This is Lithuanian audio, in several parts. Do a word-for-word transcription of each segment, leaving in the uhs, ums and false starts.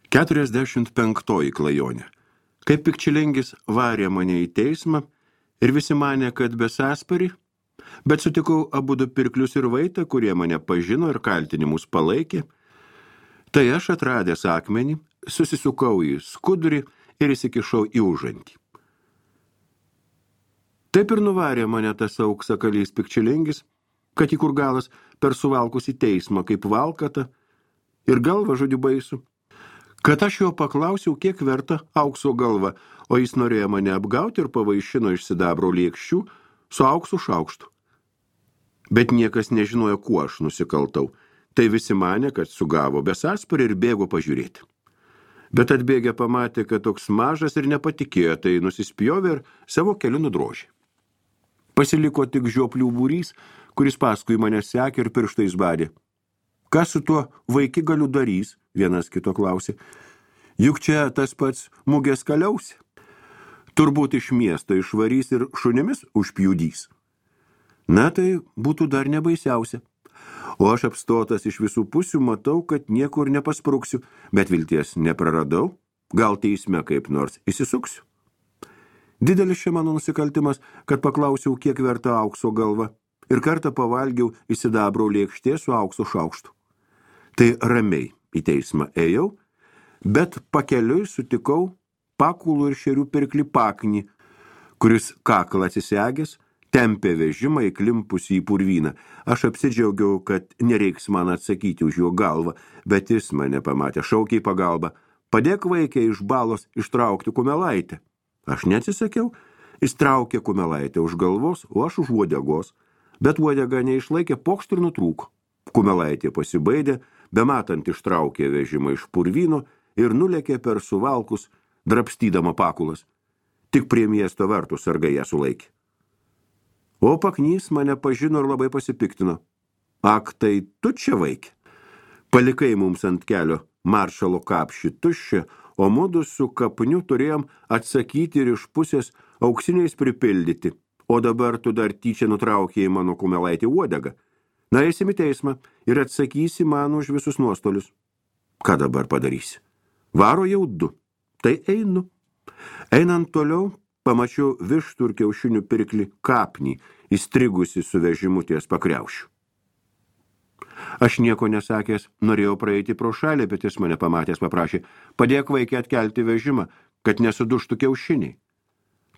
Keturiasdešimt penktoji klajonė. Kaip Pikčilingis varė mane į teismą ir visi manė, kad besąsparį, bet sutikau abudu pirklius ir vaitą, kurie mane pažino ir kaltinimus palaikė. Tai aš atradęs akmenį, susisukau į skudurį ir įsikišau į užantį. Taip ir nuvarė mane tas auksakalys Pikčilingis, kad į kur galas per suvalkus į teismą kaip valkata ir galva žodį baisų. Kad aš jo paklausiau, kiek verta aukso galva, o jis norėjo mane apgauti ir pavaišino iš sidabro lėkščių su auksu šaukštu. Bet niekas nežinojo, kuo aš nusikaltau. Tai visi manė, kad sugavo besąsparį ir bėgo pažiūrėti. Bet atbėgę pamatė, kad toks mažas ir nepatikėjo, tai nusispjovė ir savo keliu nudrožė. Pasiliko tik žioplių būrys, kuris paskui mane sekė ir pirštais badė. Kas su tuo vaikigaliu darys, vienas kito klausė. Juk čia tas pats mugės kaliausi. Turbūt iš miesto išvarys ir šunimis užpjudys. Na tai būtų dar nebaisiausia. O aš apstotas iš visų pusių matau, kad niekur nepaspruksiu, bet vilties nepraradau, gal teisme kaip nors įsisuksiu. Didelis čia mano nusikaltimas, kad paklausiau, kiek verta aukso galva, ir kartą pavalgiau į sidabro lėkštė su aukso šaukštu. Tai ramiai į teismą ėjau, bet pakeliui sutikau pakulų ir šerių pirklį Paknį, kuris kaklą atsisegęs, tempė vežimą įklimpusį į purvyną. Aš apsidžiaugiau, kad nereiks man atsakyti už jo galvą, bet jis mane pamatė, šaukė į pagalbą. Padėk vaikė iš balos ištraukti kumelaitę. Aš neatsisakiau, jis traukė kumelaitę už galvos, o aš už uodegos, bet uodega neišlaikė, pokšt ir nutrūko. Kumelaitė pasibaidė, bematant ištraukė vežimą iš purvyno ir nulėkė per suvalkus, drabstydama pakulas. Tik prie miesto vartų sargai ją sulaikė. O Paknys mane pažino ir labai pasipiktino. Ak, tai tu čia vaikė. Palikai mums ant kelio maršalo kapšį tuščią, o mudu su kapniu turėjom atsakyti ir iš pusės auksiniais pripildyti. O dabar tu dar tyčia nutraukėjai mano kumelaitį uodegą. Na, eisim į teismą ir atsakysi man už visus nuostolius. Ką dabar padarysi? Varo jau du. Tai einu. Einant toliau, pamačiau vištų ir kiaušinių pirklį Kapnį, įstrigusi su vežimu ties pakriaušiu. Aš nieko nesakęs, norėjau praeiti pro šalį, bet jis mane pamatęs paprašė, padėk vaikį atkelti vežimą, kad nesuduštų kiaušiniai.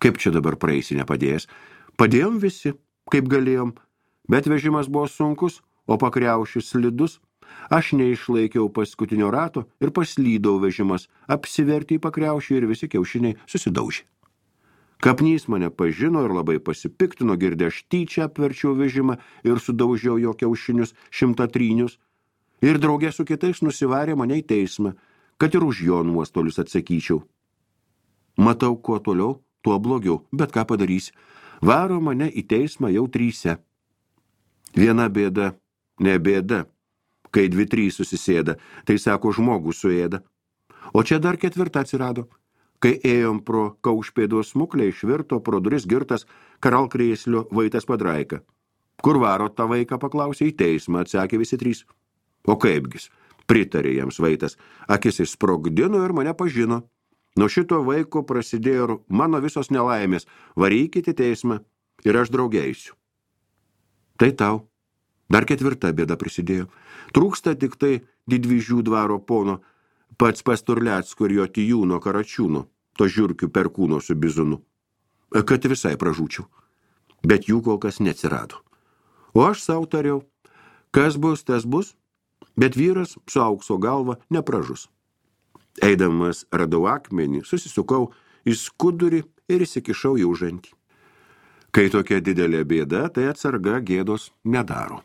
Kaip čia dabar praeisi nepadėjęs? Padėjom visi, kaip galėjom, bet vežimas buvo sunkus, o pakriaušis slidus. Aš neišlaikiau paskutinio rato ir paslydau vežimas, apsivertė į pakriaušį ir visi kiaušiniai susidaužė. Kapnys mane pažino ir labai pasipiktino, girdė, aš tyčia apverčiau vežimą ir sudaužiau jo kiaušinius šimtatrynius ir draugė su kitais nusivarė mane į teismą, kad ir už jo nuostolius atsakyčiau. Matau, kuo toliau, tuo blogiau, bet ką padarysi. Varo mane į teismą jau tryse. Viena bėda, ne bėda. Kai dvi trys susisėda, tai sako žmogų suėda. O čia dar ketvirta atsirado. Kai ėjom pro kaušpėdos smuklę, išvirto pro duris girtas karalkrėslio Vaitas Padraika. Kur varo tą vaiką, paklausė, į teismą, atsakė visi trys. O kaipgis, pritarė jiems Vaitas, akis išsprogdino ir mane pažino. Nuo šito vaiko prasidėjo mano visos nelaimės, varykite teismą ir aš draugėsiu. Tai tau. Dar ketvirta bėda prisidėjo. Trūksta tik tai Didvyžių dvaro pono, pats Pasturlecko ir jo Tijūno Karačiūno, to žiurkių perkūno su bizunu, kad visai pražūčiau. Bet jų kol kas neatsirado. O aš sau tariau, kas bus, tas bus, bet vyras su aukso galva nepražus. Eidamas radau akmenį, susisukau į skudurį ir įsikišau į užantį. Kai tokia didelė bėda, tai atsarga gėdos nedaro.